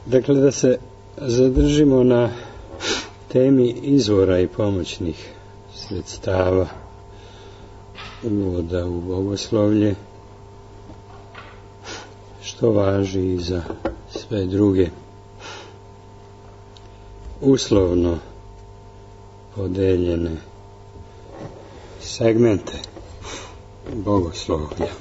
Dakle, da se zadržimo na temi izvora i pomoćnih sredstava uvoda u bogoslovlje, što važi i za sve druge uslovno podeljene segmente bogoslovlja.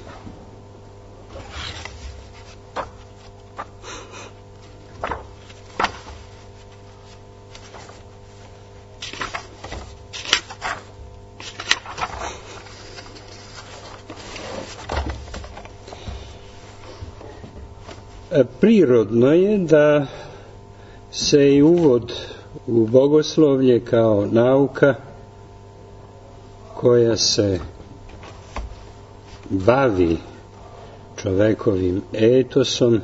Prirodno je da se i uvod u bogoslovlje kao nauka koja se bavi čovekovim etosom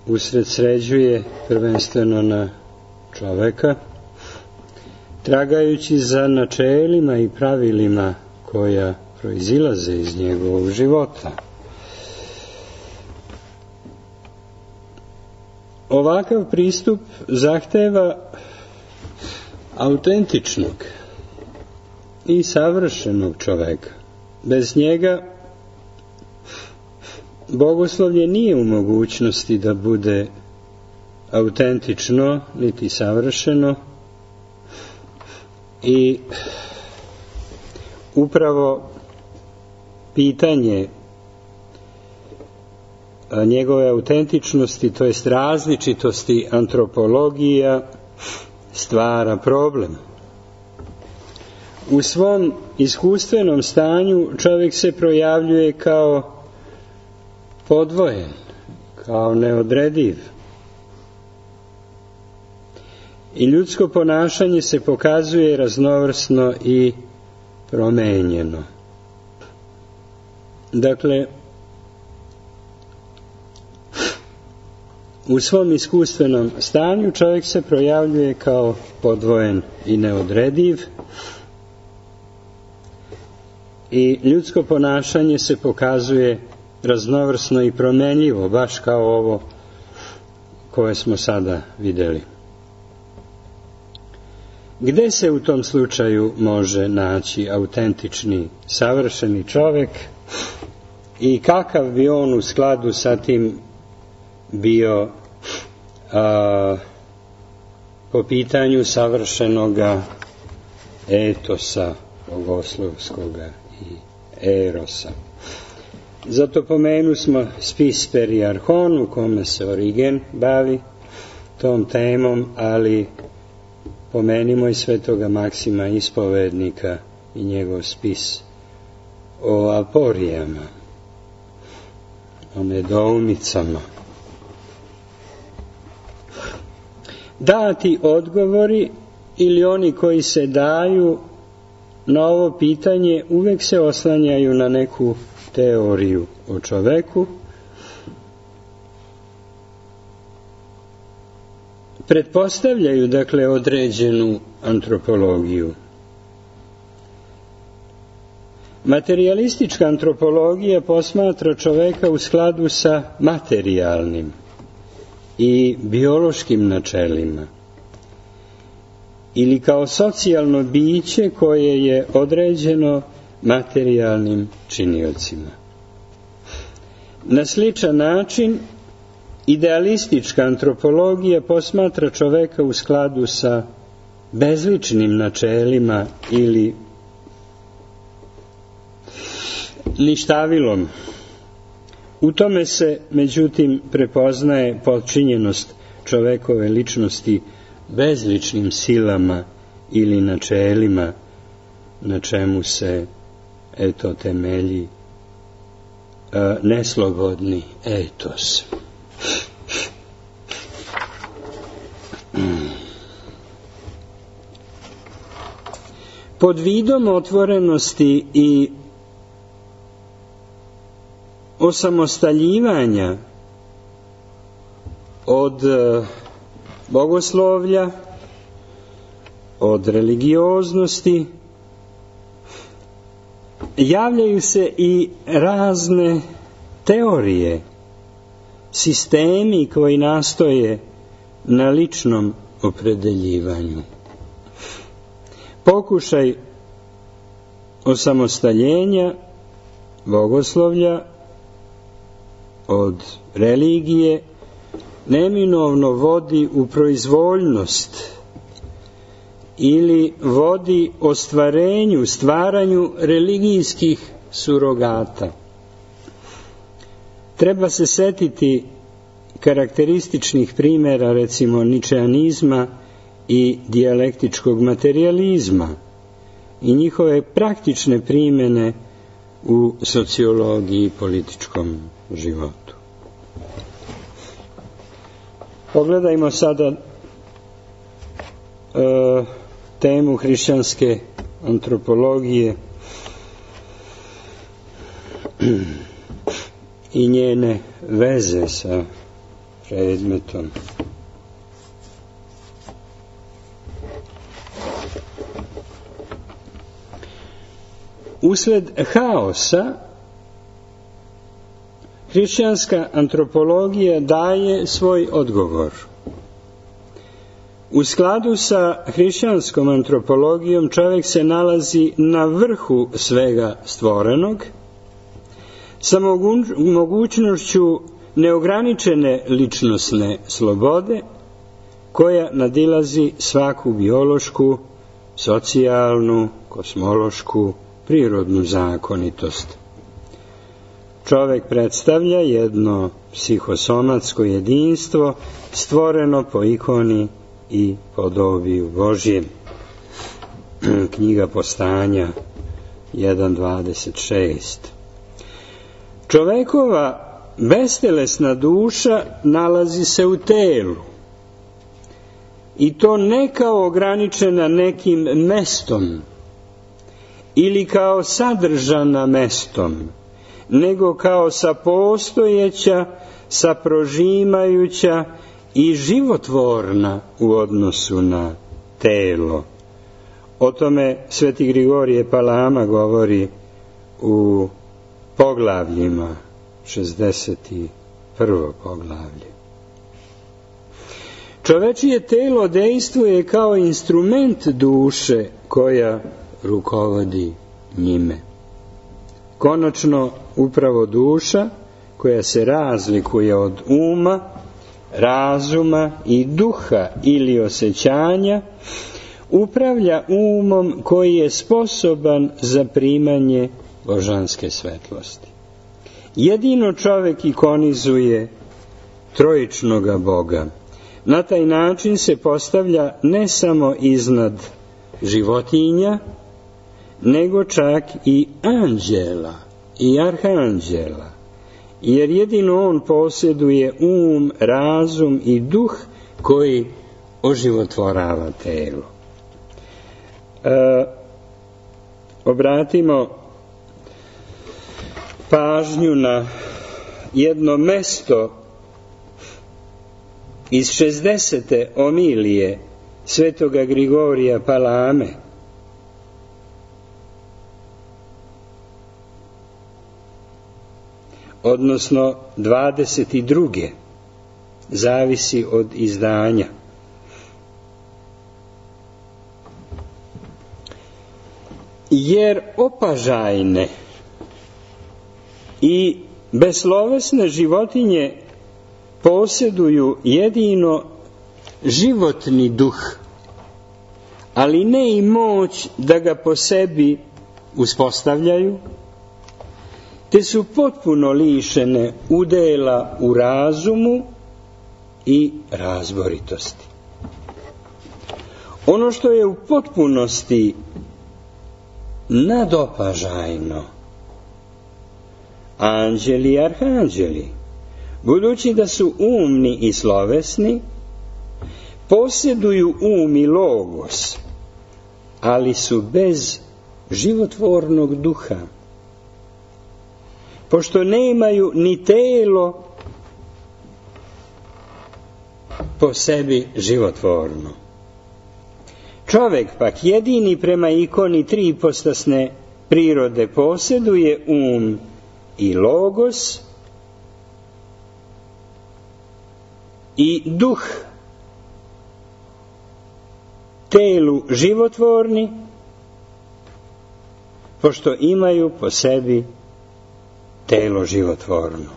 usredsređuje prvenstveno na čoveka, tragajući za načelima i pravilima koja proizilaze iz njegovog života. Ovakav pristup zahteva autentičnog i savršenog čoveka. Bez njega bogoslovlje nije u mogućnosti da bude autentično niti savršeno, i upravo pitanje njegove autentičnosti, to jest različitosti antropologija, stvara problem. U svom iskustvenom stanju čovjek se projavljuje kao podvojen, kao neodrediv. I ljudsko ponašanje se pokazuje raznovrsno i promenjeno. Dakle, u svom iskustvenom stanju čovjek se projavljuje kao podvojen i neodrediv, i ljudsko ponašanje se pokazuje raznovrsno i promenljivo, baš kao ovo koje smo sada vidjeli. Gde se u tom slučaju može naći autentični, savršeni čovjek i kakav bi on u skladu sa tim bio po pitanju savršenoga etosa bogoslovskoga i erosa? Zato pomenu smo spis Periarhon, u kome se Origen bavi tom temom, ali pomenimo i svetoga Maksima Ispovednika i njegov spis o aporijama, o nedoumicama. Dati odgovori ili oni koji se daju na ovo pitanje uvek se oslanjaju na neku teoriju o čoveku, pretpostavljaju dakle određenu antropologiju. Materijalistička antropologija posmatra čoveka u skladu sa materijalnim i biološkim načelima ili kao socijalno biće koje je određeno materijalnim činiocima. Na sličan način idealistička antropologija posmatra čoveka u skladu sa bezličnim načelima ili ništavilom. U tome se, međutim, prepoznaje potčinjenost čovekove ličnosti bezličnim silama ili načelima, na čemu se temelji neslobodni etos. Pod vidom otvorenosti i osamostaljivanja od bogoslovlja, od religioznosti, javljaju se i razne teorije sistemi koji nastoje na ličnom opredeljivanju. Pokušaj osamostaljenja bogoslovlja od religije neminovno vodi u proizvoljnost ili vodi ostvarenju, stvaranju religijskih surogata. Treba se setiti karakterističnih primjera, recimo ničeanizma i dijalektičkog materijalizma i njihove praktične primjene u sociologiji i političkom životu. Pogledajmo sada temu hrišćanske antropologije i njene veze sa predmetom. Usled haosa hrišćanska antropologija daje svoj odgovor. U skladu sa hrišćanskom antropologijom čovjek se nalazi na vrhu svega stvorenog, sa mogućnošću neograničene ličnosne slobode, koja nadilazi svaku biološku, socijalnu, kosmološku, prirodnu zakonitost. Čovjek predstavlja jedno psihosomatsko jedinstvo stvoreno po ikoni i podobiju Božjem. Knjiga Postanja 1.26. Čovekova bestelesna duša nalazi se u telu i to ne kao ograničena nekim mestom ili kao sadržana mestom, nego kao sapostojeća, saprožimajuća i životvorna u odnosu na telo. O tome Sveti Grigorije Palama govori u poglavljima, 61. poglavlje. Čovečije telo dejstvuje kao instrument duše koja rukovodi njime. Konačno, upravo duša, koja se razlikuje od uma, razuma i duha ili osjećanja, upravlja umom koji je sposoban za primanje božanske svetlosti. Jedino čovjek ikonizuje trojičnoga Boga. Na taj način se postavlja ne samo iznad životinja, nego čak i anđela i arhanđela, jer jedino on posjeduje um, razum i duh koji oživotvorava telo. Obratimo pažnju na jedno mesto iz 60. omilije svetoga Grigorija Palame, odnosno 22. zavisi od izdanja. Jer opažajne i beslovesne životinje posjeduju jedino životni duh, ali ne i moć da ga po sebi uspostavljaju, te su potpuno lišene udjela u razumu i razboritosti. Ono što je u potpunosti nadopažajno, anđeli i arhanđeli, budući da su umni i slovesni, posjeduju um i logos, ali su bez životvornog duha, pošto nemaju ni telo po sebi životvorno. Čovjek pak jedini prema ikoni tripostasne prirode posjeduje um i logos, i duh telu životvorni, pošto imaju po sebi telo životvorno.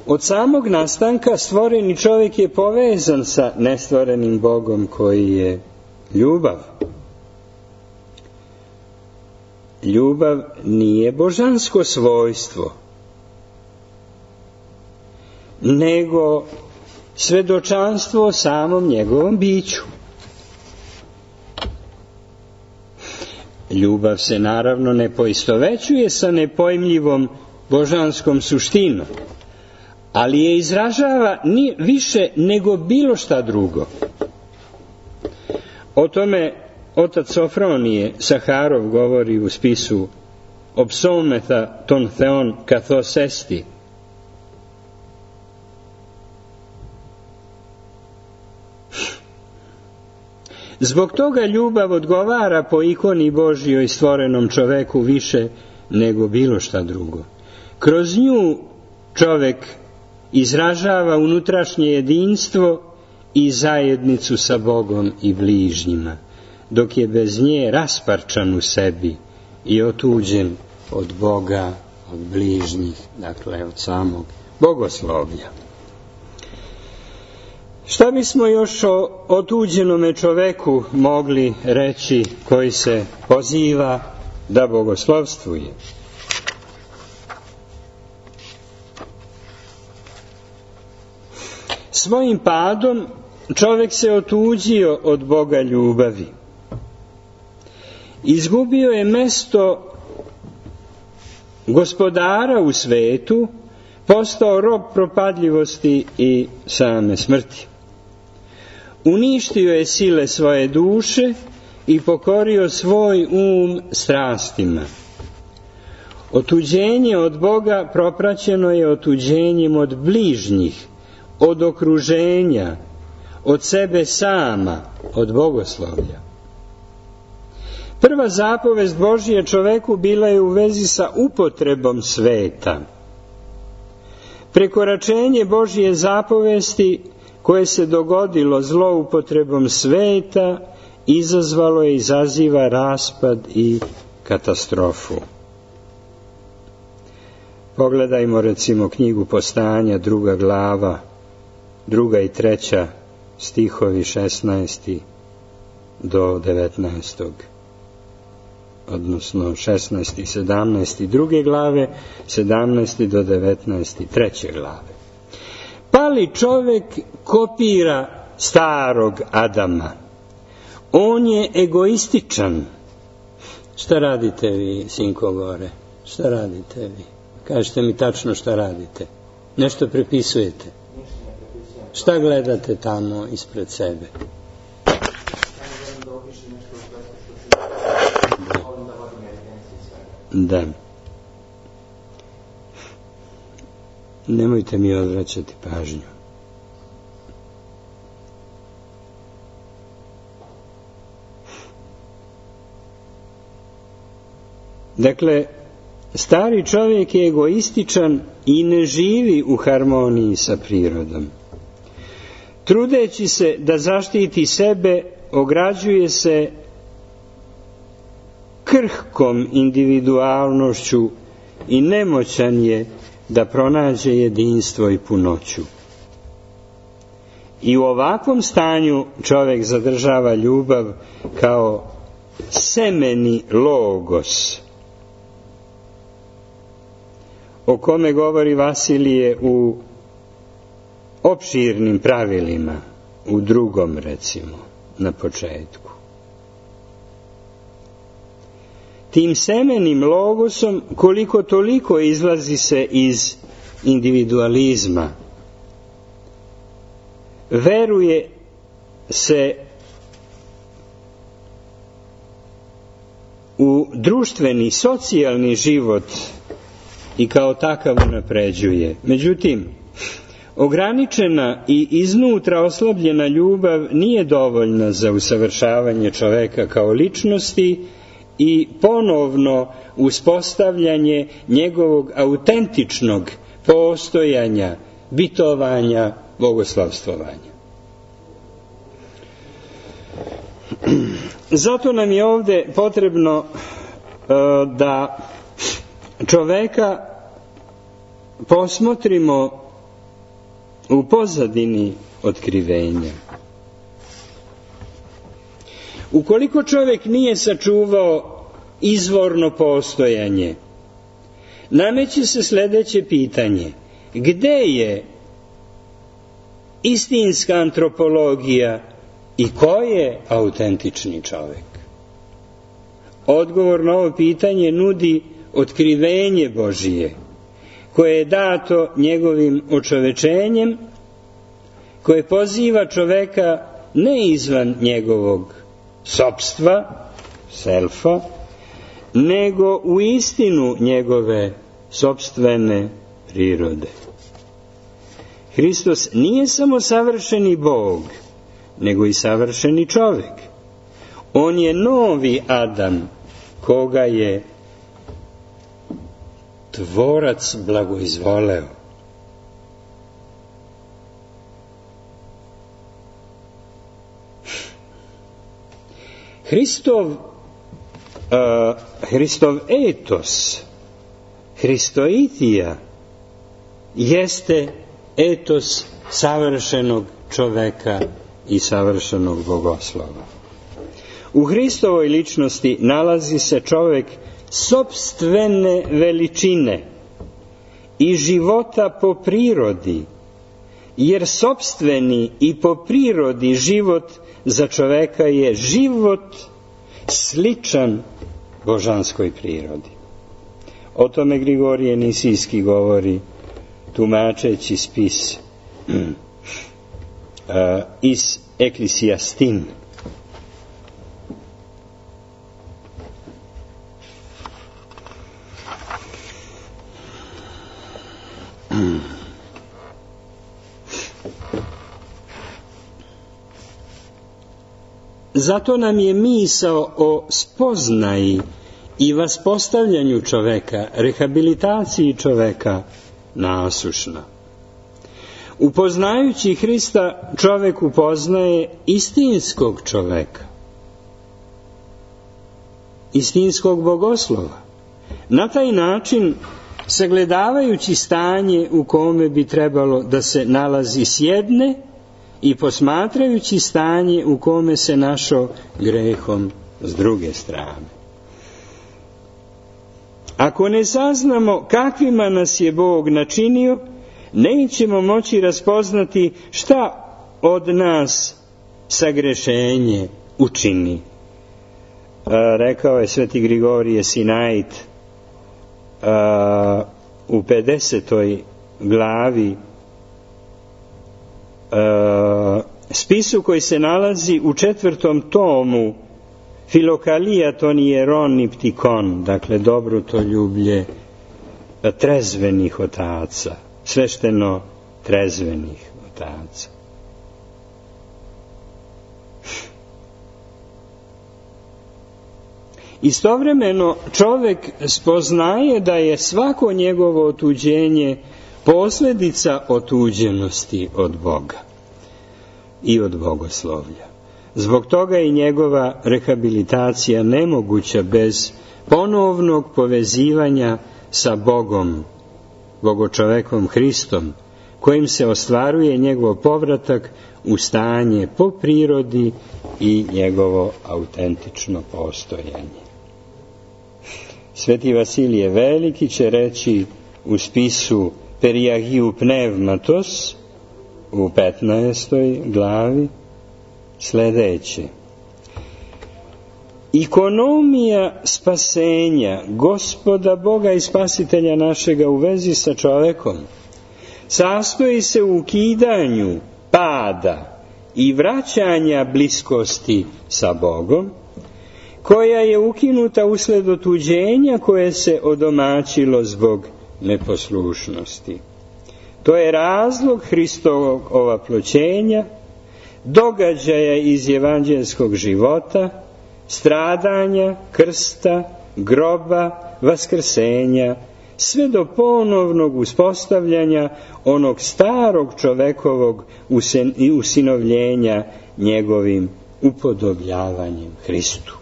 Od samog nastanka stvoreni čovjek je povezan sa nestvorenim Bogom koji je ljubav. Ljubav nije božansko svojstvo, nego svedočanstvo samom njegovom biću. Ljubav se naravno ne poistovećuje sa nepojmljivom božanskom suštinom, ali je izražava ni više nego bilo šta drugo. O tome otac Sofronije Saharov govori u spisu o psaumetha ton theon kathos esti. Zbog toga ljubav odgovara po ikoni Božjoj stvorenom čoveku više nego bilo šta drugo. Kroz nju čovek izražava unutrašnje jedinstvo i zajednicu sa Bogom i bližnjima, dok je bez nje rasparčan u sebi i otuđen od Boga, od bližnjih, dakle od samog bogoslovlja. Šta bismo još o otuđenome čoveku mogli reći koji se poziva da bogoslovstvuje? Svojim padom čovjek se otuđio od Boga ljubavi. Izgubio je mesto gospodara u svetu, postao rob propadljivosti i same smrti. Uništio je sile svoje duše i pokorio svoj um strastima. Otuđenje od Boga propraćeno je otuđenjem od bližnjih, od okruženja, od sebe sama, od bogoslovlja. Prva zapovest Božje čoveku bila je u vezi sa upotrebom sveta. Prekoračenje Božje zapovesti koje se dogodilo zloupotrebom sveta izazvalo je i izaziva raspad i katastrofu. Pogledajmo recimo knjigu Postanja, 2. glava, 2. i 3. stihovi 16. do 19. odnosno 16. i 17. 2. glave, 17. do 19. 3. glave. Pali čovjek kopira starog Adama. On je egoističan. Šta radite vi, sinko gore? Šta radite vi? Kažete mi tačno šta radite. Nešto prepisujete. Šta gledate tamo ispred sebe? Da. Nemojte mi odvraćati pažnju. Dakle, stari čovjek je egoističan i ne živi u harmoniji sa prirodom. Trudeći se da zaštiti sebe, ograđuje se krhkom individualnošću i nemoćan je da pronađe jedinstvo i punoću. I u ovakvom stanju čovjek zadržava ljubav kao semeni logos, o kome govori Vasilije u opširnim pravilima, u 2. recimo, na početku. Tim semenim logosom koliko toliko izlazi se iz individualizma. Veruje se u društveni, socijalni život i kao takav unapređuje. Međutim, ograničena i iznutra oslabljena ljubav nije dovoljna za usavršavanje čoveka kao ličnosti i ponovno uspostavljanje njegovog autentičnog postojanja bitovanja, bogoslavstvovanja. Zato nam je ovdje potrebno da čoveka posmotrimo u pozadini otkrivenja. Ukoliko čovjek nije sačuvao izvorno postojanje, nameće se sljedeće pitanje: gde je istinska antropologija i ko je autentični čovjek? Odgovor na ovo pitanje nudi otkrivenje Božije, koje je dato njegovim očovečenjem, koje poziva čoveka ne izvan njegovog sopstva, selfa, nego u istinu njegove sopstvene prirode. Hristos nije samo savršeni Bog, nego i savršeni čovjek. On je novi Adam, koga je Tvorac blagoizvoleo. Hristov etos, Hristoitija, jeste etos savršenog čoveka i savršenog bogoslova. U Hristovoj ličnosti nalazi se čovjek sopstvene veličine i života po prirodi, jer sopstveni i po prirodi život za čoveka je život sličan božanskoj prirodi. O tome Grigorije Nisijski govori, tumačeći spis iz Eklisijastin. Zato nam je misao o spoznaji i vaspostavljanju čoveka, rehabilitaciji čoveka nasušna. Upoznajući Hrista, čovek upoznaje istinskog čoveka, istinskog bogoslova. Na taj način, sagledavajući stanje u kome bi trebalo da se nalazi s jedne i posmatrajući stanje u kome se našao grehom s druge strane. Ako ne saznamo kakvima nas je Bog načinio, nećemo moći raspoznati šta od nas sagrešenje učini. Rekao je sveti Grigorije Sinait u 50. glavi spisu koji se nalazi u 4. tomu Filokalija ton hieron ptikon, dakle dobrotoljublje trezvenih otaca, svešteno trezvenih otaca. Istovremeno čovjek spoznaje da je svako njegovo otuđenje posljedica otuđenosti od Boga i od bogoslovlja. Zbog toga je njegova rehabilitacija nemoguća bez ponovnog povezivanja sa Bogom, bogočovekom Hristom, kojim se ostvaruje njegov povratak u stanje po prirodi i njegovo autentično postojanje. Sveti Vasilije Veliki će reći u spisu Periagiu Pneumatos u 15. glavi sljedeće: ikonomija spasenja Gospoda Boga i Spasitelja našega u vezi sa čovekom sastoji se u ukidanju pada i vraćanja bliskosti sa Bogom, koja je ukinuta usled otuđenja koje se odomaćilo zbog neposlušnosti. To je razlog Hristovog ovaploćenja, događaja iz evanđelskog života, stradanja, krsta, groba, vaskrsenja, sve do ponovnog uspostavljanja onog starog čovekovog usinovljenja njegovim upodobljavanjem Hristu.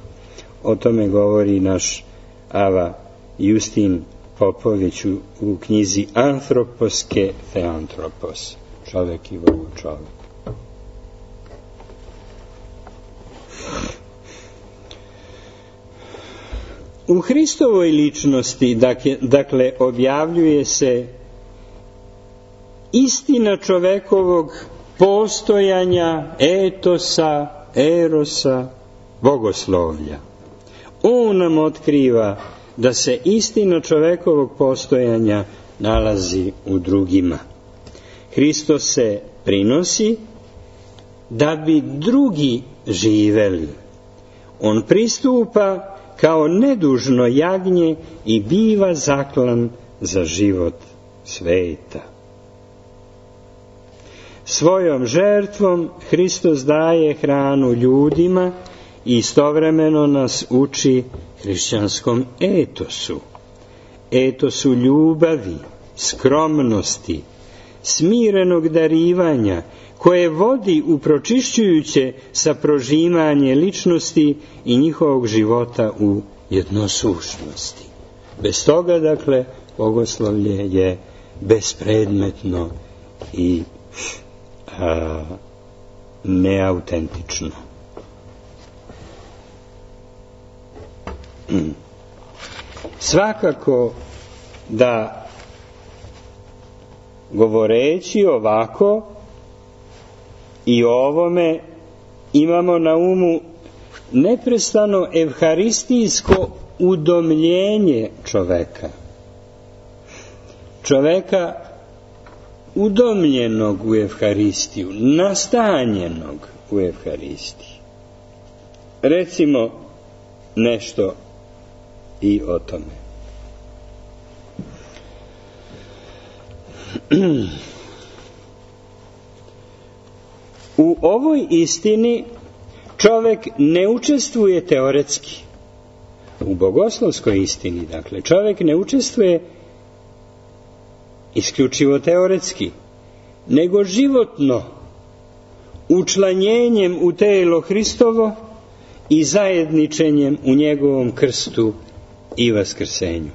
O tome govori naš Ava Justin Popović u knjizi Antroposke Theantropos, čovek i vrlo čovek. U Hristovoj ličnosti, dakle, objavljuje se istina čovekovog postojanja, etosa, erosa, bogoslovlja. On nam otkriva da se istina čovekovog postojanja nalazi u drugima. Hristos se prinosi da bi drugi živeli. On pristupa kao nedužno jagnje i biva zaklan za život sveta. Svojom žrtvom Hristos daje hranu ljudima i istovremeno nas uči hrišćanskom etosu. Etosu ljubavi, skromnosti, smirenog darivanja, koje vodi u pročišćujuće saprožimanje ličnosti i njihovog života u jednosušnosti. Bez toga, dakle, bogoslovlje je bespredmetno i neautentično. Svakako da govoreći ovako i o ovome imamo na umu neprestano evharistijsko udomljenje čoveka. Čoveka udomljenog u evharistiju, nastanjenog u evharistiji. Recimo nešto i o tome. U ovoj istini čovek ne učestvuje teoretski. U bogoslovskoj istini, dakle, čovek ne učestvuje isključivo teoretski, nego životno, učlanjenjem u telo Hristovo i zajedničenjem u njegovom krstu i vaskrsenju.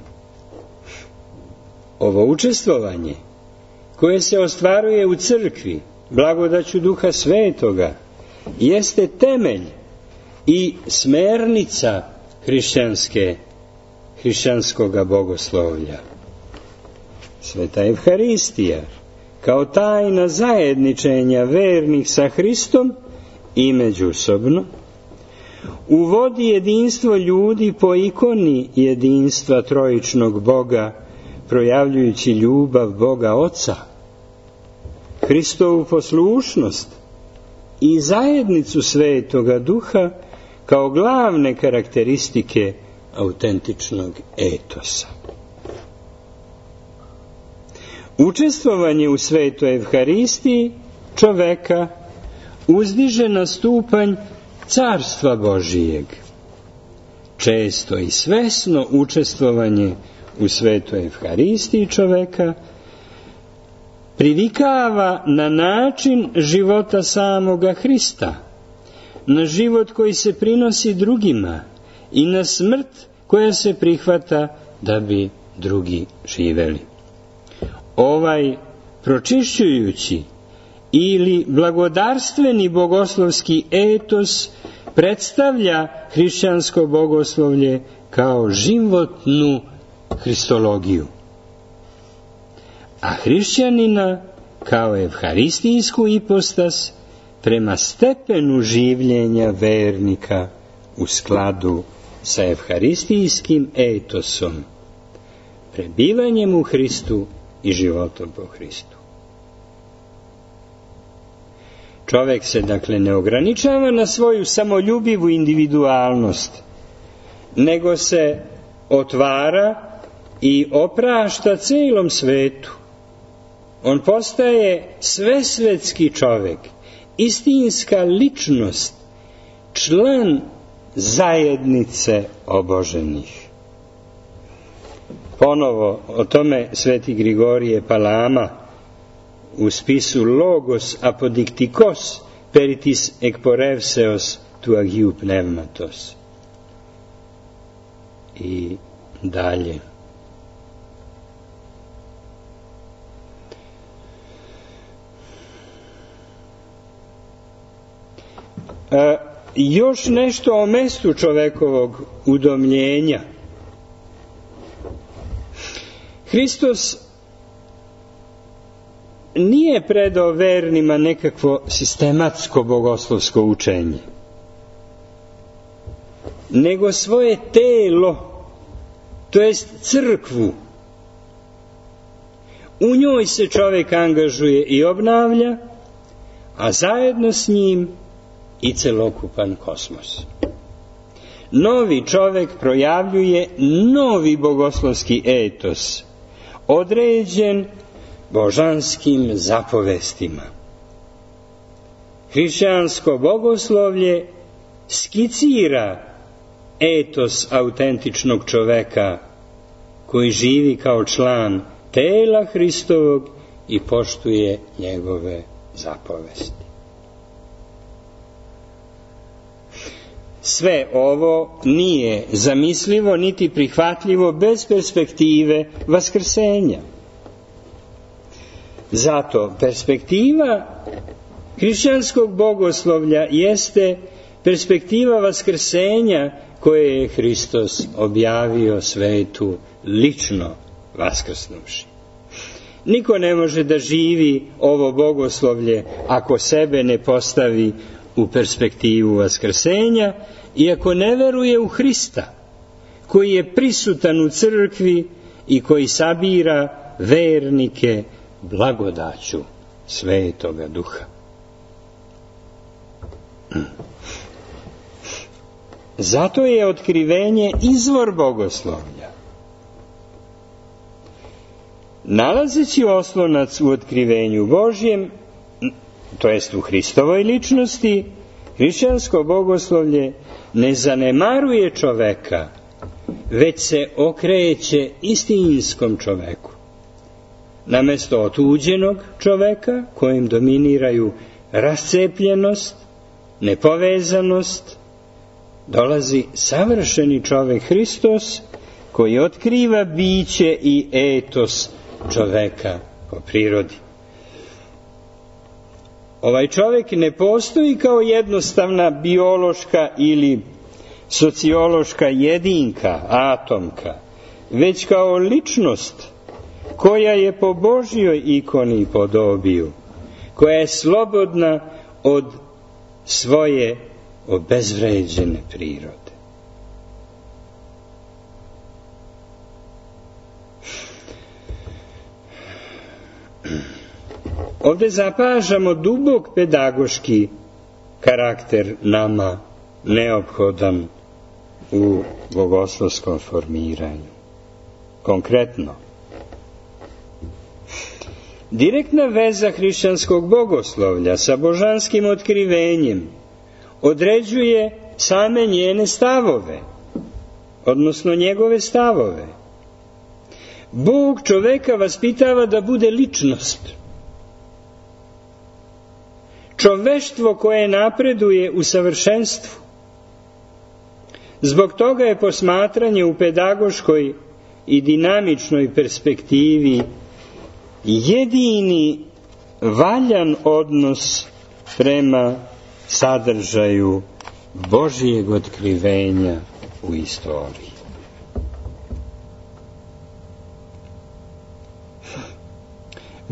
Ovo učestvovanje, koje se ostvaruje u crkvi, blagodaću Duha Svetoga, jeste temelj i smernica hrišćanskoga bogoslovlja. Sveta Evharistija, kao tajna zajedničenja vernih sa Hristom i međusobno, uvodi jedinstvo ljudi po ikoni jedinstva trojičnog Boga, projavljujući ljubav Boga Oca, Hristovu poslušnost i zajednicu Svetoga Duha kao glavne karakteristike autentičnog etosa. Učestvovanje u Svetoj Evharistiji čoveka uzdiže na stupanj Carstva Božijeg. Često i svesno učestvovanje u Svetoj Evharistiji čoveka privikava na način života samoga Hrista, na život koji se prinosi drugima i na smrt koja se prihvata da bi drugi živeli. Ovaj pročišćujući ili blagodarstveni bogoslovski etos predstavlja hrišćansko bogoslovlje kao životnu hristologiju, a hrišćanina kao evharistijsku ipostas prema stepenu življenja vernika u skladu sa evharistijskim etosom, prebivanjem u Hristu i životom po Hristu. Čovek se, dakle, ne ograničava na svoju samoljubivu individualnost, nego se otvara i oprašta celom svetu. On postaje svesvetski čovek, istinska ličnost, član zajednice oboženih. Ponovo o tome sveti Grigorije Palama u spisu Logos apodiktikos peritis ekporevseos tu agiu pneumatos. I dalje. Još nešto o mestu čovekovog udomljenja. Hristos nije predao vernima nekakvo sistematsko bogoslovsko učenje, nego svoje telo, to jest crkvu. U njoj se čovjek angažuje i obnavlja, a zajedno s njim i celokupan kosmos. Novi čovjek projavljuje novi bogoslovski etos, određen božanskim zapovestima. Hrišćansko bogoslovlje skicira etos autentičnog čoveka koji živi kao član tela Hristovog i poštuje njegove zapovesti. Sve ovo nije zamislivo niti prihvatljivo bez perspektive vaskrsenja. Zato perspektiva hrišćanskog bogoslovlja jeste perspektiva vaskrsenja koje je Hristos objavio svetu lično vaskrsnuvši. Niko ne može da živi ovo bogoslovlje ako sebe ne postavi u perspektivu vaskrsenja i ako ne veruje u Hrista, koji je prisutan u crkvi i koji sabira vernike blagodaću Svetoga Duha. Zato je otkrivenje izvor bogoslovlja. Nalazeći oslonac u otkrivenju Božjem, to jest u Hristovoj ličnosti, hrišćansko bogoslovlje ne zanemaruje čoveka, već se okreće istinskom čoveku. Namesto otuđenog čoveka, kojim dominiraju rascepljenost, nepovezanost, dolazi savršeni čovek Hristos, koji otkriva biće i etos čoveka po prirodi. Ovaj čovjek ne postoji kao jednostavna biološka ili sociološka jedinka, atomka, već kao ličnost koja je po Božjoj ikoni i podobiju, koja je slobodna od svoje obezvređene prirode. Ovdje zapažamo dubok pedagoški karakter nama neophodan u bogoslovskom formiranju. Konkretno, direktna veza hrišćanskog bogoslovlja sa božanskim otkrivenjem određuje same njene stavove, odnosno njegove stavove. Bog čoveka vaspitava da bude ličnost. Čoveštvo koje napreduje u savršenstvu. Zbog toga je posmatranje u pedagoškoj i dinamičnoj perspektivi jedini valjan odnos prema sadržaju Božijeg otkrivenja u istoriji.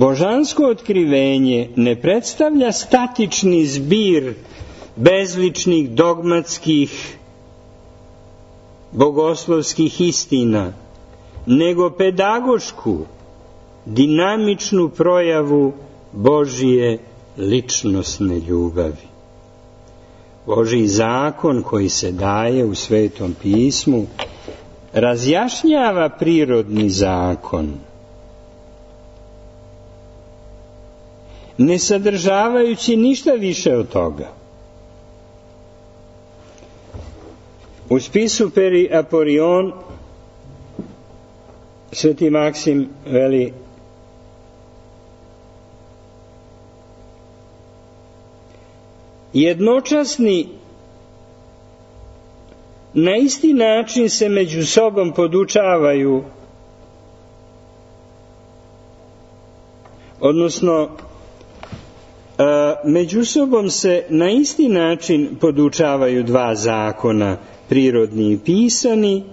Božansko otkrivenje ne predstavlja statični zbir bezličnih dogmatskih bogoslovskih istina, nego pedagošku, dinamičnu projavu Božije ličnosne ljubavi. Božji zakon koji se daje u Svetom pismu razjašnjava prirodni zakon, ne sadržavajući ništa više od toga. U spisu Peri Aporion Sveti Maksim veli: jednočasni na isti način se među sobom podučavaju, odnosno među sobom se na isti način podučavaju dva zakona, prirodni i pisani.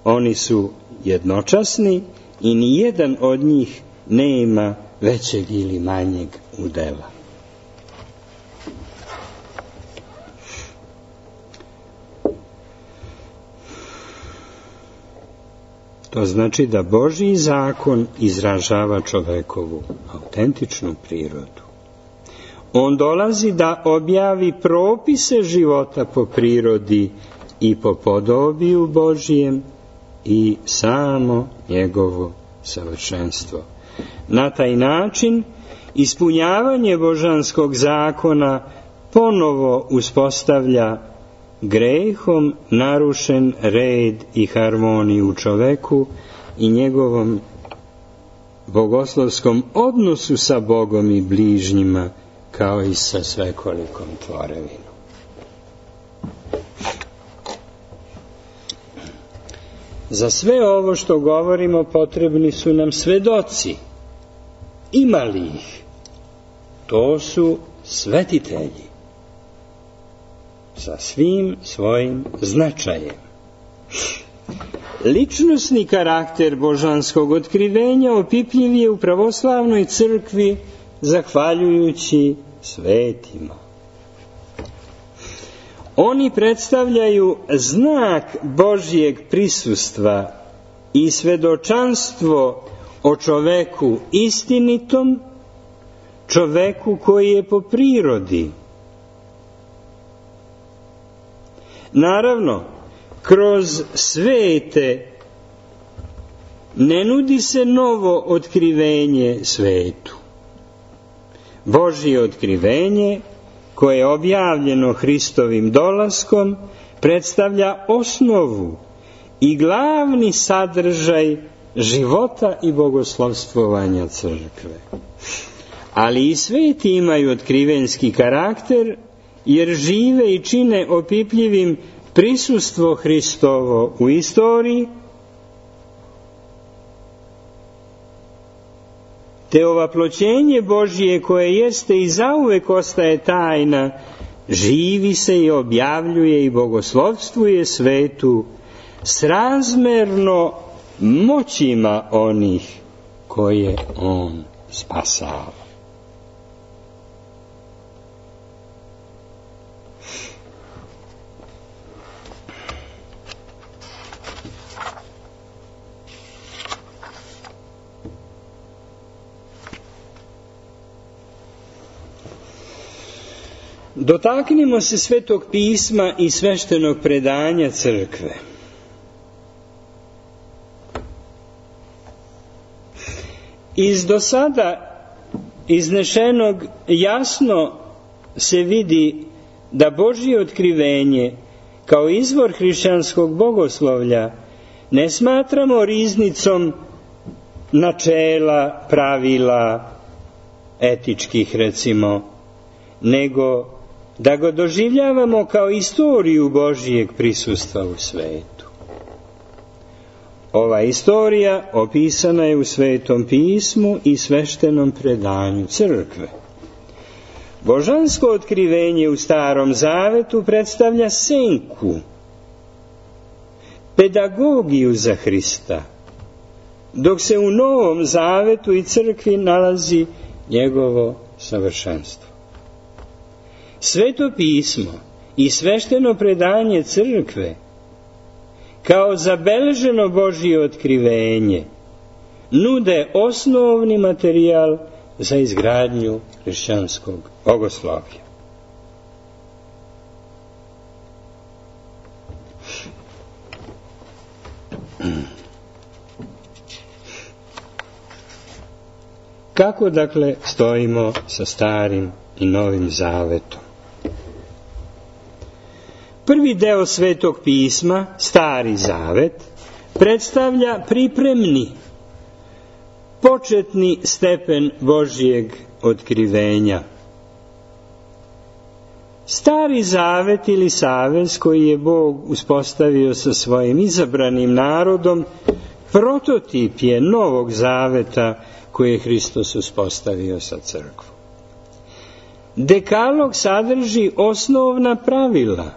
Oni su jednočasni i nijedan od njih nema većeg ili manjeg udela. To znači da Božji zakon izražava čovekovu autentičnu prirodu. On dolazi da objavi propise života po prirodi i po podobiju Božjem i samo njegovo savršenstvo. Na taj način ispunjavanje božanskog zakona ponovo uspostavlja grehom narušen red i harmoniju u čoveku i njegovom bogoslovskom odnosu sa Bogom i bližnjima, kao i sa svekolikom tvorevinom. Za sve ovo što govorimo potrebni su nam svedoci. Ima li ih? To su svetitelji sa svim svojim značajem. Ličnosni karakter božanskog otkrivenja opipljiv je u pravoslavnoj crkvi zahvaljujući svetima. Oni predstavljaju znak Božjeg prisustva i svedočanstvo o čoveku istinitom, čoveku koji je po prirodi. Naravno, kroz svete ne nudi se novo otkrivenje svetu. Božje otkrivenje, koje je objavljeno Hristovim dolaskom, predstavlja osnovu i glavni sadržaj života i bogoslovstvovanja crkve. Ali i sveti imaju otkrivenski karakter, jer žive i čine opipljivim prisustvo Hristovo u istoriji, te ovaploćenje Božije, koje jeste i zauvek ostaje tajna, živi se i objavljuje i bogoslovstvuje svetu srazmerno moćima onih koje on spasava. Dotaknimo se Svetog pisma i sveštenog predanja crkve. Iz do sada iznešenog jasno se vidi da Božje otkrivenje kao izvor hrišćanskog bogoslovlja ne smatramo riznicom načela, pravila, etičkih recimo, nego da ga doživljavamo kao istoriju Božijeg prisustva u svetu. Ova istorija opisana je u Svetom pismu i sveštenom predanju crkve. Božansko otkrivenje u Starom zavetu predstavlja senku, pedagogiju za Hrista, dok se u Novom zavetu i crkvi nalazi njegovo savršenstvo. Sveto pismo i svešteno predanje crkve kao zabeleženo Božje otkrivenje nude osnovni materijal za izgradnju hrišćanskog bogoslovlja. Kako dakle stojimo sa Starim i Novim zavetom? Prvi deo Svetog pisma, Stari zavet, predstavlja pripremni, početni stepen Božjeg otkrivenja. Stari zavet ili savez koji je Bog uspostavio sa svojim izabranim narodom prototip je novog zaveta koji je Hristos uspostavio sa crkvom. Dekalog sadrži osnovna pravila,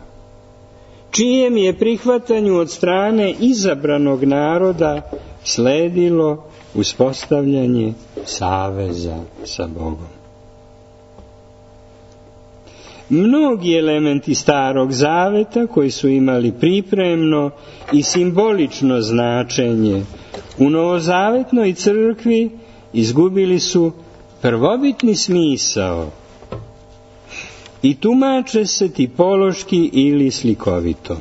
čijem je prihvatanju od strane izabranog naroda sledilo uspostavljanje saveza sa Bogom. Mnogi elementi Starog zaveta koji su imali pripremno i simbolično značenje u novozavetnoj crkvi izgubili su prvobitni smisao i tumače se tipološki ili slikovito.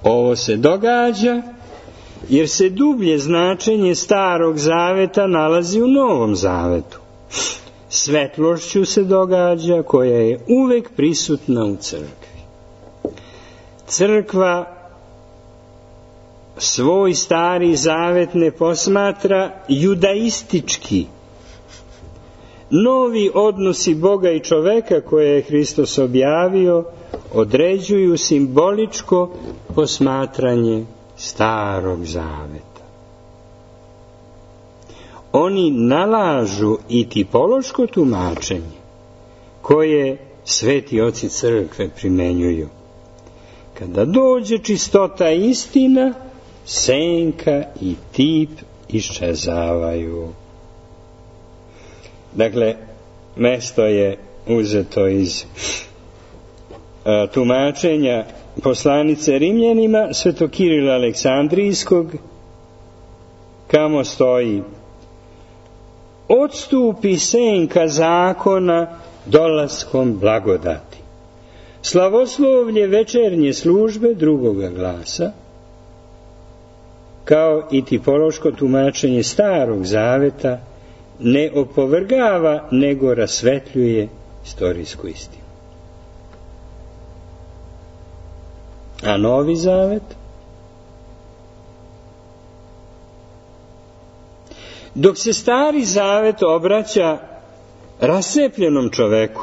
Ovo se događa jer se dublje značenje Starog zaveta nalazi u Novom zavetu. Svetlošću se događa koja je uvek prisutna u crkvi. Crkva svoj Stari zavet ne posmatra judaistički. Novi odnosi Boga i čoveka koje je Hristos objavio određuju simboličko posmatranje Starog zaveta. Oni nalažu i tipološko tumačenje koje sveti oci crkve primenjuju. Kada dođe čistota i istina, senka i tip iščezavaju. Dakle, mesto je uzeto iz tumačenja poslanice Rimljanima svetog Kirila Aleksandrijskog, kamo stoji: odstupi senka zakona dolaskom blagodati. Slavoslovlje večernje službe drugoga glasa, kao i tipološko tumačenje Starog zaveta, ne opovrgava, nego rasvetljuje istorijsku istinu. A Novi zavet? Dok se Stari zavet obraća rascepljenom čoveku,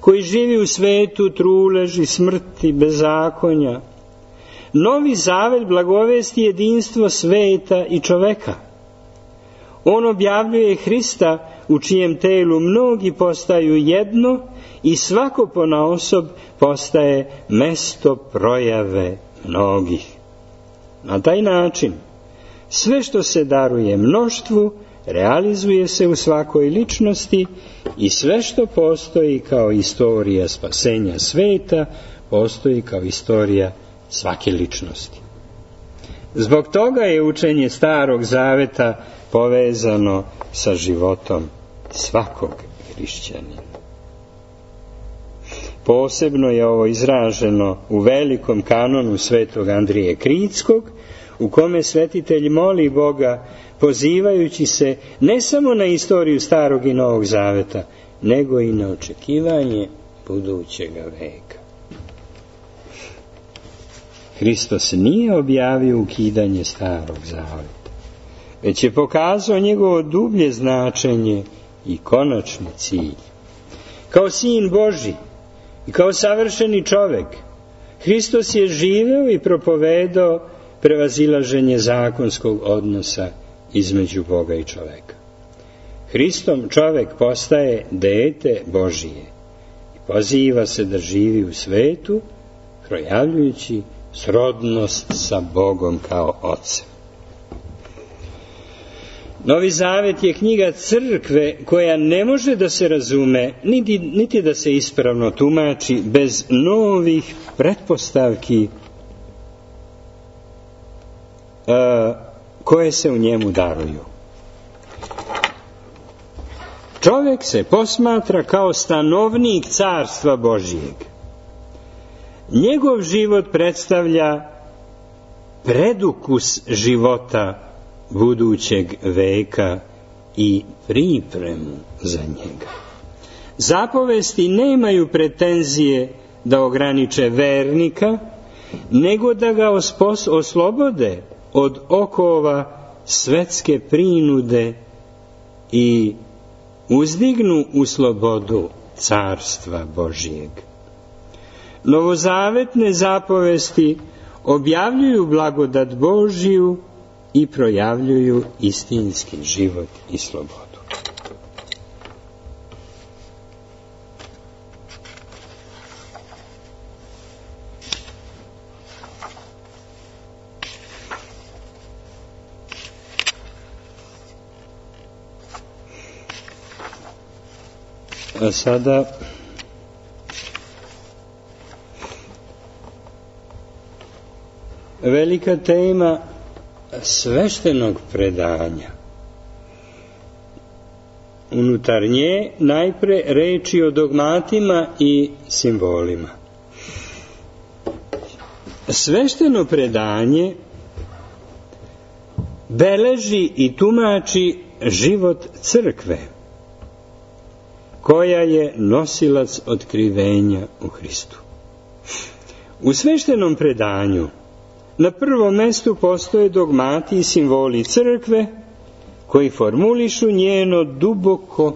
koji živi u svetu truleži, smrti, bezakonja, Novi zavet blagovesti jedinstvo sveta i čoveka. On objavljuje Hrista u čijem telu mnogi postaju jedno i svako ponaosob postaje mesto projave mnogih. Na taj način sve što se daruje mnoštvu realizuje se u svakoj ličnosti i sve što postoji kao istorija spasenja sveta postoji kao istorija svake ličnosti. Zbog toga je učenje Starog zaveta povezano sa životom svakog hrišćanina. Posebno je ovo izraženo u velikom kanonu svetog Andrije Kritskog, u kome svetitelj moli Boga pozivajući se ne samo na istoriju Starog i Novog zaveta, nego i na očekivanje budućega veka. Hristos nije objavio ukidanje Starog zaveta, već je pokazao njegovo dublje značenje i konačni cilj. Kao sin Božji i kao savršeni čovek, Hristos je živeo i propovedao prevazilaženje zakonskog odnosa između Boga i čoveka. Hristom čovek postaje dete Božije i poziva se da živi u svetu, projavljujući srodnost sa Bogom kao Ocem. Novi zavet je knjiga crkve koja ne može da se razume, niti da se ispravno tumači bez novih pretpostavki koje se u njemu daruju. Čovjek se posmatra kao stanovnik carstva Božijeg. Njegov život predstavlja predukus života budućeg veka i pripremu za njega. Zapovesti nemaju pretenzije da ograniče vernika, nego da ga oslobode od okova svetske prinude i uzdignu u slobodu Carstva Božijeg. Novozavetne zapovesti objavljuju blagodat Božiju i projavljuju istinski život i slobodu. A sada velika tema sveštenog predanja. Unutar nje najpre reči o dogmatima i simbolima. Svešteno predanje beleži i tumači život crkve, koja je nosilac otkrivenja u Hristu. U sveštenom predanju na prvom mestu postoje dogmati i simboli crkve koji formulišu njeno duboko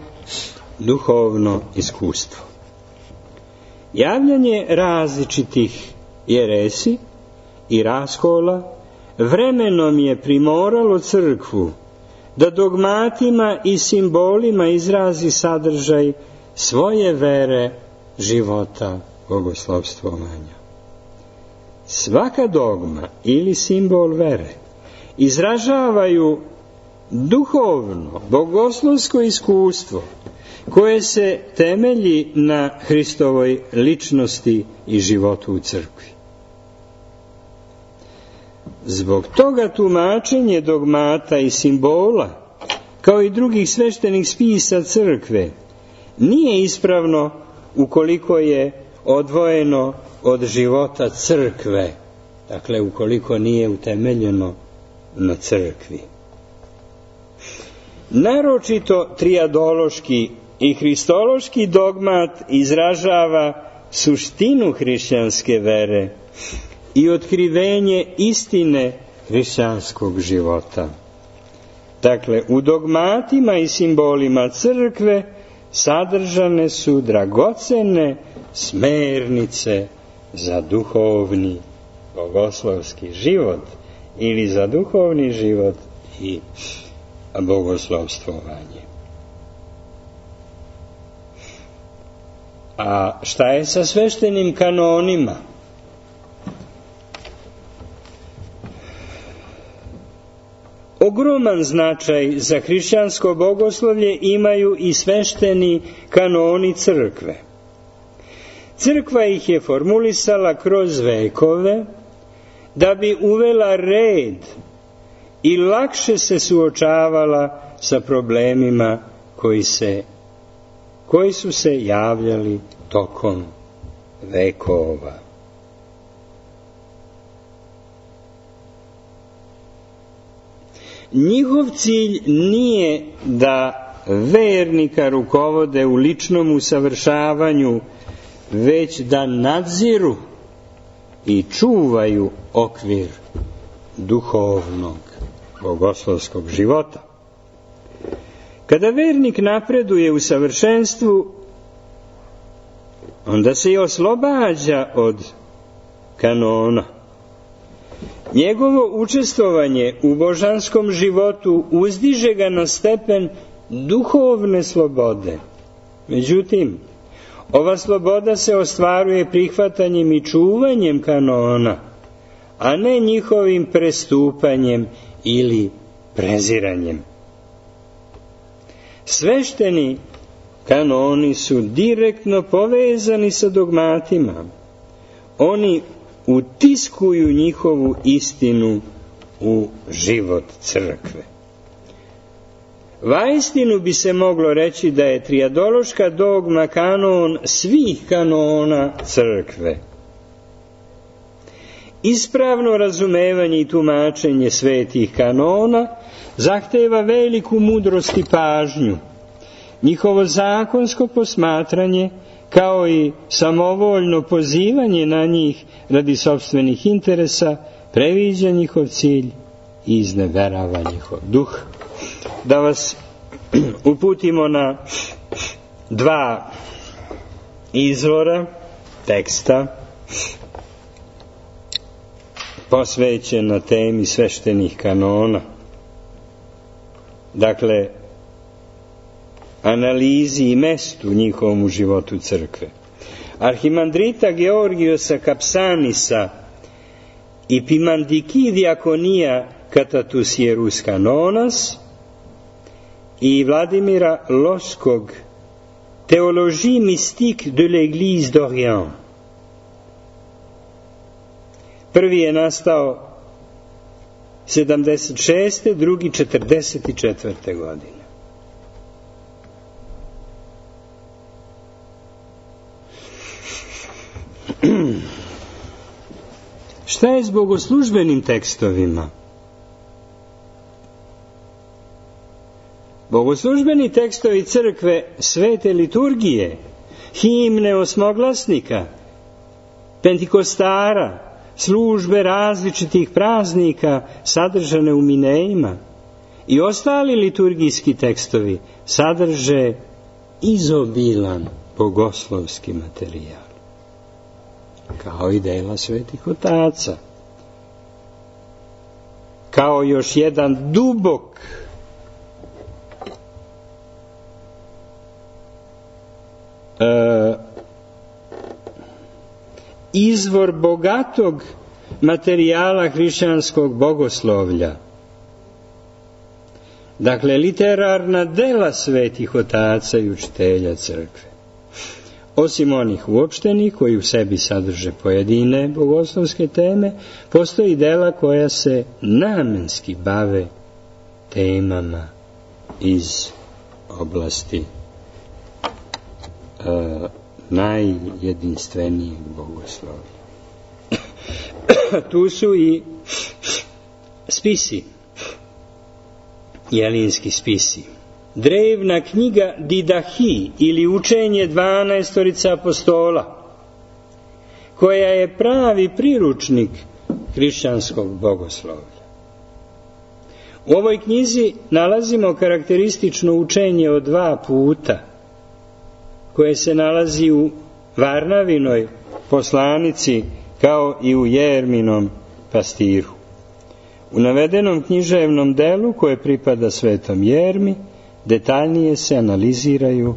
duhovno iskustvo. Javljanje različitih jeresi i raskola vremenom je primoralo crkvu da dogmatima i simbolima izrazi sadržaj svoje vere, života, bogoslovstvovanja. Svaka dogma ili simbol vere izražavaju duhovno, bogoslovsko iskustvo koje se temelji na Hristovoj ličnosti i životu u crkvi. Zbog toga tumačenje dogmata i simbola, kao i drugih sveštenih spisa crkve, nije ispravno ukoliko je odvojeno od života crkve, dakle ukoliko nije utemeljeno na crkvi. Naročito trijadološki i hristološki dogmat izražava suštinu hrišćanske vere i otkrivenje istine hrišćanskog života. Dakle, u dogmatima i simbolima crkve sadržane su dragocene smernice za duhovni bogoslovski život ili za duhovni život i bogoslovstvovanje. A šta je sa sveštenim kanonima? Ogroman značaj za hrišćansko bogoslovlje imaju i svešteni kanoni crkve. Crkva ih je formulisala kroz vekove da bi uvela red i lakše se suočavala sa problemima koji su se javljali tokom vekova. Njihov cilj nije da vernika rukovode u ličnom usavršavanju, već da nadziru i čuvaju okvir duhovnog bogoslovskog života. Kada vernik napreduje u savršenstvu, onda se i oslobađa od kanona. Njegovo učestvovanje u božanskom životu uzdiže ga na stepen duhovne slobode. Međutim, ova sloboda se ostvaruje prihvatanjem i čuvanjem kanona, a ne njihovim prestupanjem ili preziranjem. Svešteni kanoni su direktno povezani sa dogmatima. Oni utiskuju njihovu istinu u život crkve. Vaistinu bi se moglo reći da je trijadološka dogma kanon svih kanona crkve. Ispravno razumevanje i tumačenje svetih kanona zahteva veliku mudrost i pažnju. Njihovo zakonsko posmatranje kao i samovoljno pozivanje na njih radi sopstvenih interesa, previđa njihov cilj i izneverava njihov duh. Da vas uputimo na dva izvora teksta posvećena temi sveštenih kanona. Dakle, analizi i mestu njihovom u životu crkve. Arhimandrita Georgijosa Kapsanisa i Pimandiki diakonija Katatus Ierus Kanonas i Vladimira Loskog Théologie mystique de l'Église d'Orient. Prvi je nastao 76. drugi 44. godine. Šta je s bogoslužbenim tekstovima? Bogoslužbeni tekstovi crkve, svete liturgije, himne osmoglasnika, pentikostara, službe različitih praznika sadržane u minejima i ostali liturgijski tekstovi sadrže izobilan bogoslovski materijal, kao i dela svetih otaca, kao još jedan dubok izvor bogatog materijala hrišćanskog bogoslovlja. Dakle, literarna dela svetih otaca i učitelja crkve. Osim onih uopštenih koji u sebi sadrže pojedine bogoslovske teme, postoji dela koja se namenski bave temama iz oblasti najjedinstvenijeg bogoslovlja. Tu su i spisi, jelinski spisi. Drevna knjiga Didahi ili učenje 12 apostola, koja je pravi priručnik hrišćanskog bogoslovlja. U ovoj knjizi nalazimo karakteristično učenje o 2 puta, koje se nalazi u Varnavinoj poslanici kao i u Jerminom pastiru. U navedenom književnom delu koje pripada svetom Jermi detaljnije se analiziraju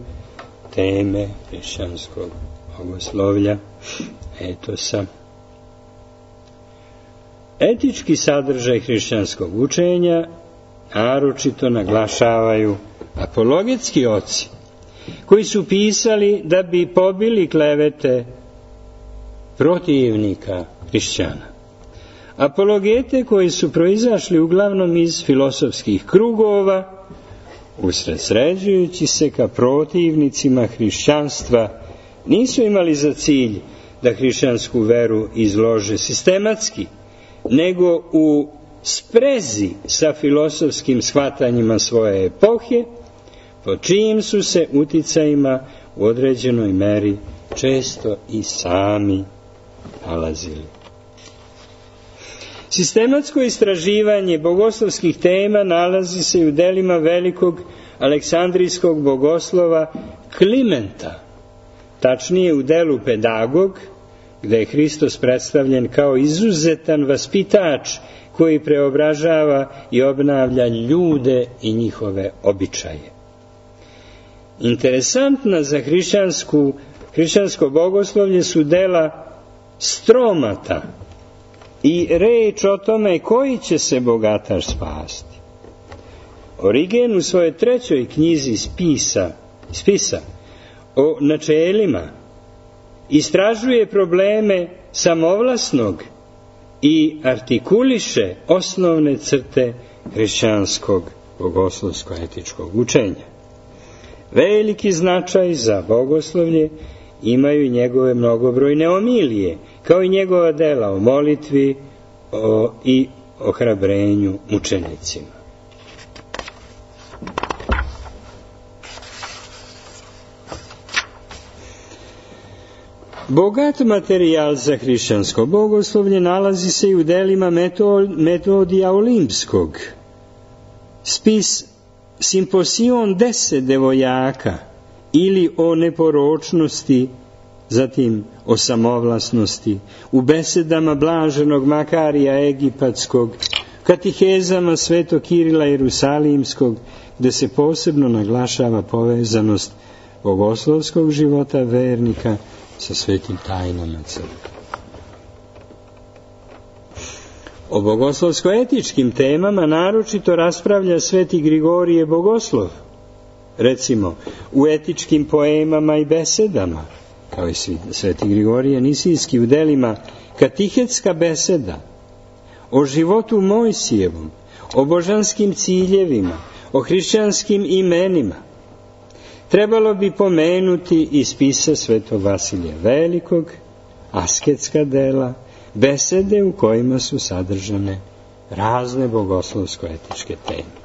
teme hrišćanskog bogoslovlja, etosa. Etički sadržaj hrišćanskog učenja naročito naglašavaju apologetski oci, koji su pisali da bi pobili klevete protivnika hrišćana. Apologete koji su proizašli uglavnom iz filosofskih krugova, usredsređujući se ka protivnicima hrišćanstva, nisu imali za cilj da hrišćansku veru izlože sistematski, nego u sprezi sa filosofskim shvatanjima svoje epohe, po čijim su se uticajima u određenoj meri često i sami nalazili. Sistematsko istraživanje bogoslovskih tema nalazi se i u delima velikog aleksandrijskog bogoslova Klimenta, tačnije u delu Pedagog, gde je Hristos predstavljen kao izuzetan vaspitač koji preobražava i obnavlja ljude i njihove običaje. Interesantna za hrišćansko bogoslovlje su dela Stromata i reč o tome koji će se bogataš spasti. Origen u svojoj 3. knjizi spisa o načelima istražuje probleme samovlasnog i artikuliše osnovne crte hrišćanskog bogoslovsko-etičkog učenja. Veliki značaj za bogoslovlje imaju i njegove mnogobrojne omilije, kao i njegova dela o molitvi i ohrabrenju mučenicima. Bogat materijal za hrišćansko bogoslovlje nalazi se i u delima Metodija Olimpskog. Spis Simposion 10 devojaka ili o neporočnosti, zatim o samovlasnosti, u besedama blaženog Makarija Egipatskog, katihezama Svetog Kirila Jerusalimskog, gde se posebno naglašava povezanost bogoslovskog života vernika sa svetim tajnama crkve. O bogoslovsko-etičkim temama naročito raspravlja sveti Grigorije Bogoslov, recimo u etičkim poemama i besedama, kao i sveti Grigorije Nisijski u delima Katihetska beseda, o životu Mojsijevom, o božanskim ciljevima, o hrišćanskim imenima. Trebalo bi pomenuti i spisa svetog Vasilija Velikog, asketska dela, besede u kojima su sadržane razne bogoslovsko-etičke teme.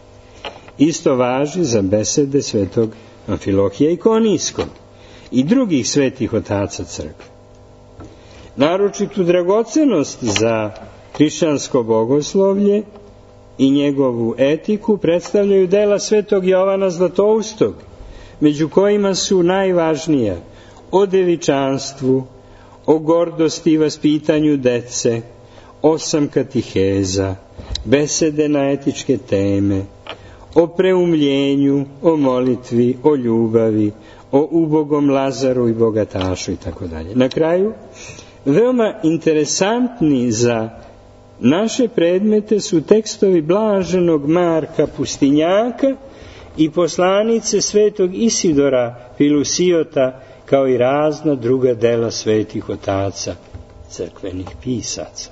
Isto važi za besede svetog Amfilohija Ikonijskog i drugih svetih otaca crkve. Naročitu dragocenost za hrišćansko bogoslovlje i njegovu etiku predstavljaju dela svetog Jovana Zlatoustog, među kojima su najvažnija o devičanstvu, o gordosti i vaspitanju dece, 8 katiheza, besede na etičke teme, o preumljenju, o molitvi, o ljubavi, o ubogom Lazaru i bogatašu itd. Na kraju, veoma interesantni za naše predmete su tekstovi blaženog Marka Pustinjaka i poslanice svetog Isidora Filusiota, kao i razna druga dela svetih otaca crkvenih pisaca.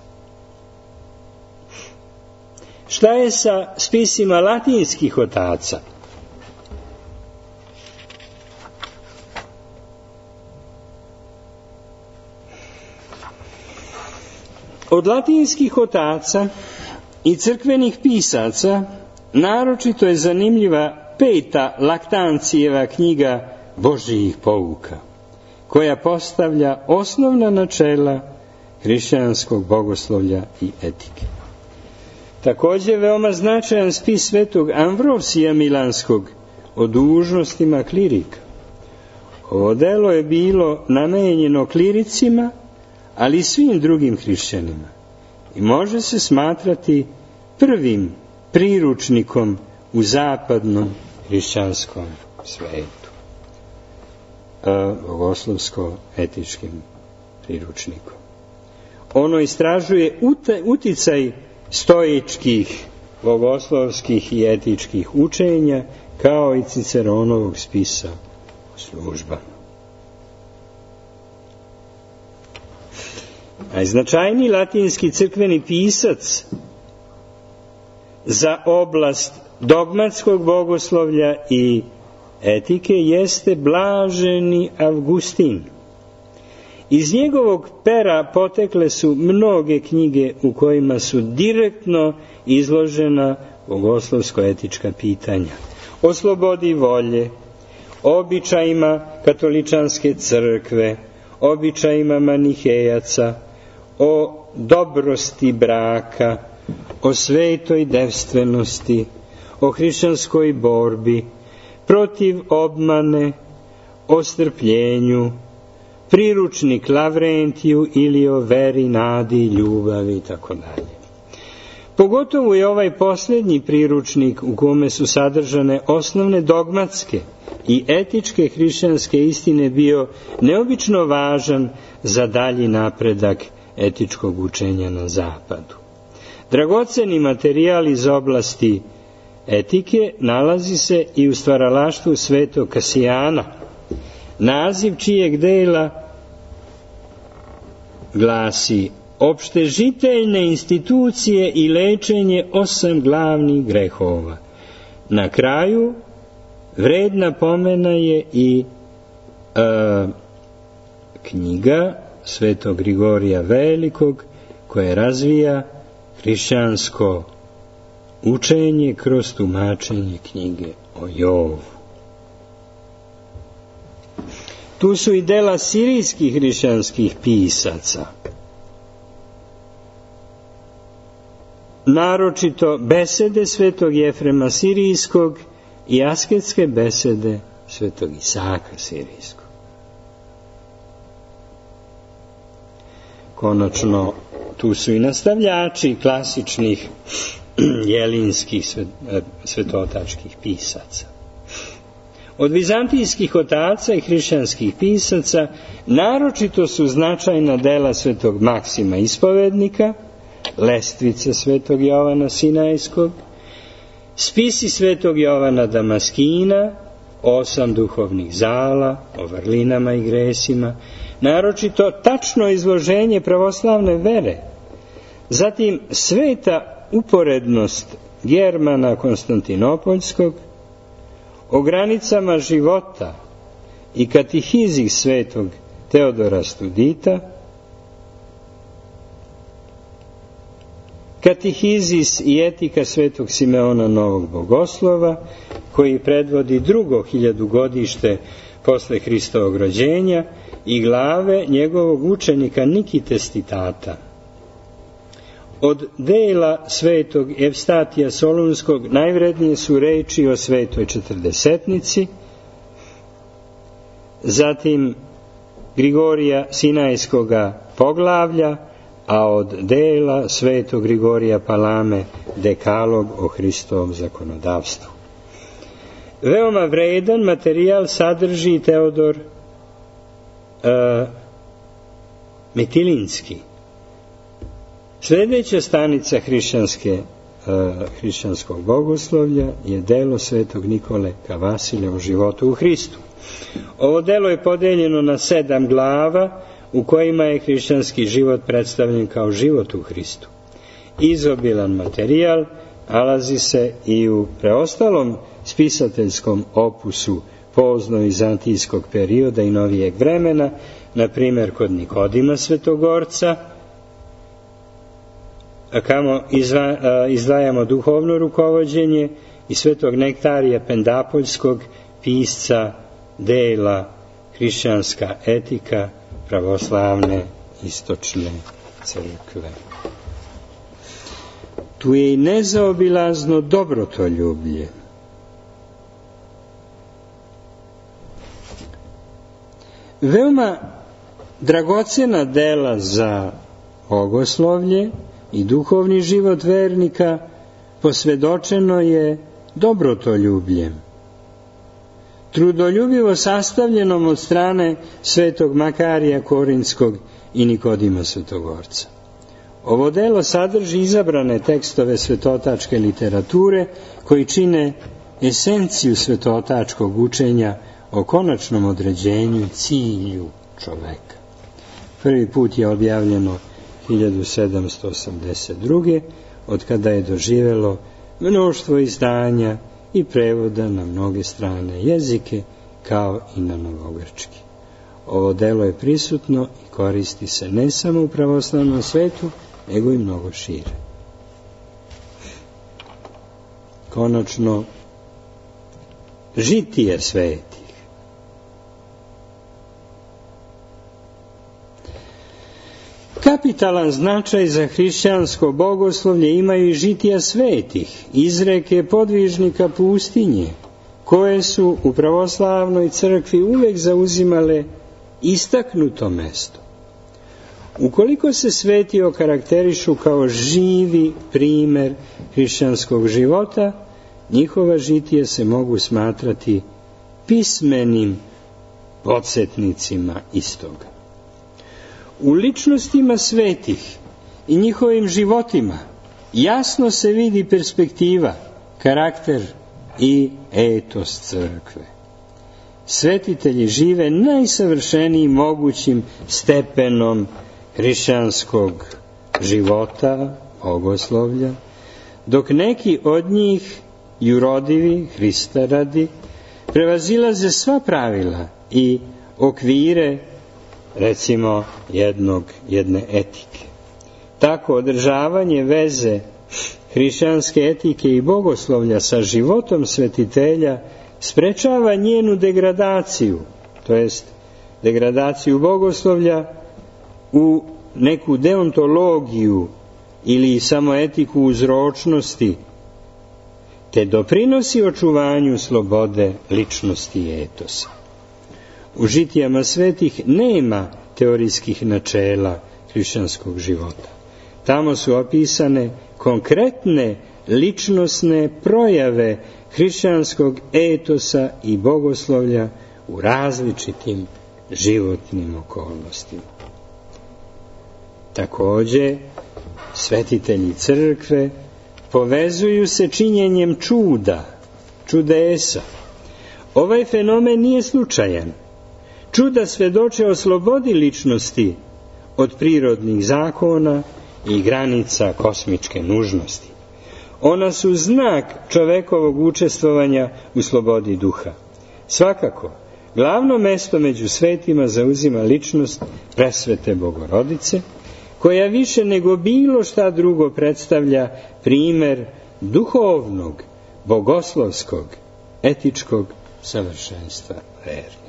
Šta je sa spisima latinskih otaca? Od latinskih otaca i crkvenih pisaca naročito je zanimljiva 5. Laktancijeva knjiga Božjih pouka, koja postavlja osnovna načela hrišćanskog bogoslovlja i etike. Također veoma značajan spis svetog Amvrosija Milanskog o dužnostima klirika. Ovo delo je bilo namenjeno kliricima, ali i svim drugim hrišćanima i može se smatrati prvim priručnikom u zapadnom hrišćanskom svetu, bogoslovsko-etičkim priručnikom. Ono istražuje uticaj stoičkih, bogoslovskih i etičkih učenja, kao i Ciceronovog spisa Služba. Najznačajniji latinski crkveni pisac za oblast dogmatskog bogoslovlja i etike jeste blaženi Avgustin. Iz njegovog pera potekle su mnoge knjige u kojima su direktno izložena bogoslovsko-etička pitanja o slobodi volje, običajima katoličanske crkve, običajima manihejaca, o dobrosti braka, o svetoj devstvenosti, o hrišćanskoj borbi, protiv obmane, o strpljenju, priručnik Lavrentiju ili o veri, nadi, ljubavi itd. Pogotovo je ovaj posljednji priručnik u kome su sadržane osnovne dogmatske i etičke hrišćanske istine bio neobično važan za dalji napredak etičkog učenja na zapadu. Dragoceni materijal iz oblasti etike nalazi se i u stvaralaštvu svetog Kasijana, naziv čijeg dela glasi Opštežiteljne institucije i lečenje 8 glavnih grehova. Na kraju vredna pomena je i knjiga svetog Grigorija Velikog, koja razvija hrišćansko učenje kroz tumačenje knjige o Jovu. Tu su i dela sirijskih hrišćanskih pisaca. Naročito besede svetog Jefrema Sirijskog i asketske besede svetog Isaka Sirijskog. Konačno, tu su i nastavljači klasičnih jelinskih svetotačkih pisaca. Od vizantijskih otaca i hrišćanskih pisaca naročito su značajna dela svetog Maksima Ispovednika, Lestvice svetog Jovana Sinajskog, spisi svetog Jovana Damaskina, 8 duhovnih zala o vrlinama i gresima, naročito tačno izloženje pravoslavne vere, zatim sveta uporednost Germana Konstantinopoljskog, o granicama života i katihizih svetog Teodora Studita, katihizis i etika svetog Simeona Novog Bogoslova, koji predvodi drugo hiljadugodište posle Hristovog rođenja, i glave njegovog učenika Nikite Stitata. Od dela svetog Evstatija Solunskog najvrednije su reči o svetoj četrdesetnici, zatim Grigorija Sinajskoga poglavlja, a od dela svetog Grigorija Palame dekalog o Hristovom zakonodavstvu. Veoma vredan materijal sadrži Teodor Mitilinski. Sljedeća stanica hrišćanskog bogoslovlja je delo svetog Nikole Kavasilja o životu u Hristu. Ovo delo je podeljeno na 7 glava u kojima je hrišćanski život predstavljen kao život u Hristu. Izobilan materijal nalazi se i u preostalom spisateljskom opusu pozno-vizantijskog perioda i novijeg vremena, na primjer kod Nikodima Svetogorca, kamo izdvajamo duhovno rukovođenje, i svetog Nektarija Pendapoljskog, pisca dela Hrišćanska etika pravoslavne istočne crkve. Tu je i nezaobilazno dobrotoljublje. Veoma dragocena dela za bogoslovlje i duhovni život vernika posvedočeno je dobrotoljubljem, trudoljubivo sastavljenom od strane svetog Makarija Korinskog i Nikodima Svetogorca. Ovo delo sadrži izabrane tekstove svetotačke literature koji čine esenciju svetotačkog učenja o konačnom određenju i cilju čoveka. Prvi put je objavljeno 1782. od kada je doživelo mnoštvo izdanja i prevoda na mnoge strane jezike, kao i na novogrčki. Ovo delo je prisutno i koristi se ne samo u pravoslavnom svetu, nego i mnogo šire. Konačno, žitije svetih. Kapitalan značaj za hrišćansko bogoslovlje imaju i žitija svetih, izreke podvižnika pustinje, koje su u pravoslavnoj crkvi uvek zauzimale istaknuto mesto. Ukoliko se sveti okarakterišu kao živi primer hrišćanskog života, njihova žitija se mogu smatrati pismenim podsjetnicima istoga. U ličnostima svetih i njihovim životima jasno se vidi perspektiva, karakter i etos crkve. Svetitelji žive najsavršenijim mogućim stepenom hrišćanskog života, bogoslovlja, dok neki od njih, jurodivi, Hrista radi, prevazilaze sva pravila i okvire, recimo, jedne etike. Tako održavanje veze hrišćanske etike i bogoslovlja sa životom svetitelja sprečava njenu degradaciju, to jest degradaciju bogoslovlja u neku deontologiju ili samo etiku uzročnosti, te doprinosi očuvanju slobode ličnosti i etosa. U žitijama svetih nema teorijskih načela hrišćanskog života. Tamo su opisane konkretne ličnosne projave hrišćanskog etosa i bogoslovlja u različitim životnim okolnostima. Takođe, svetitelji crkve povezuju se činjenjem čudesa. Ovaj fenomen nije slučajan. Čuda svedoče o slobodi ličnosti od prirodnih zakona i granica kosmičke nužnosti. Ona su znak čovekovog učestvovanja u slobodi duha. Svakako, glavno mesto među svetima zauzima ličnost presvete Bogorodice, koja više nego bilo šta drugo predstavlja primer duhovnog, bogoslovskog, etičkog savršenstva vernika.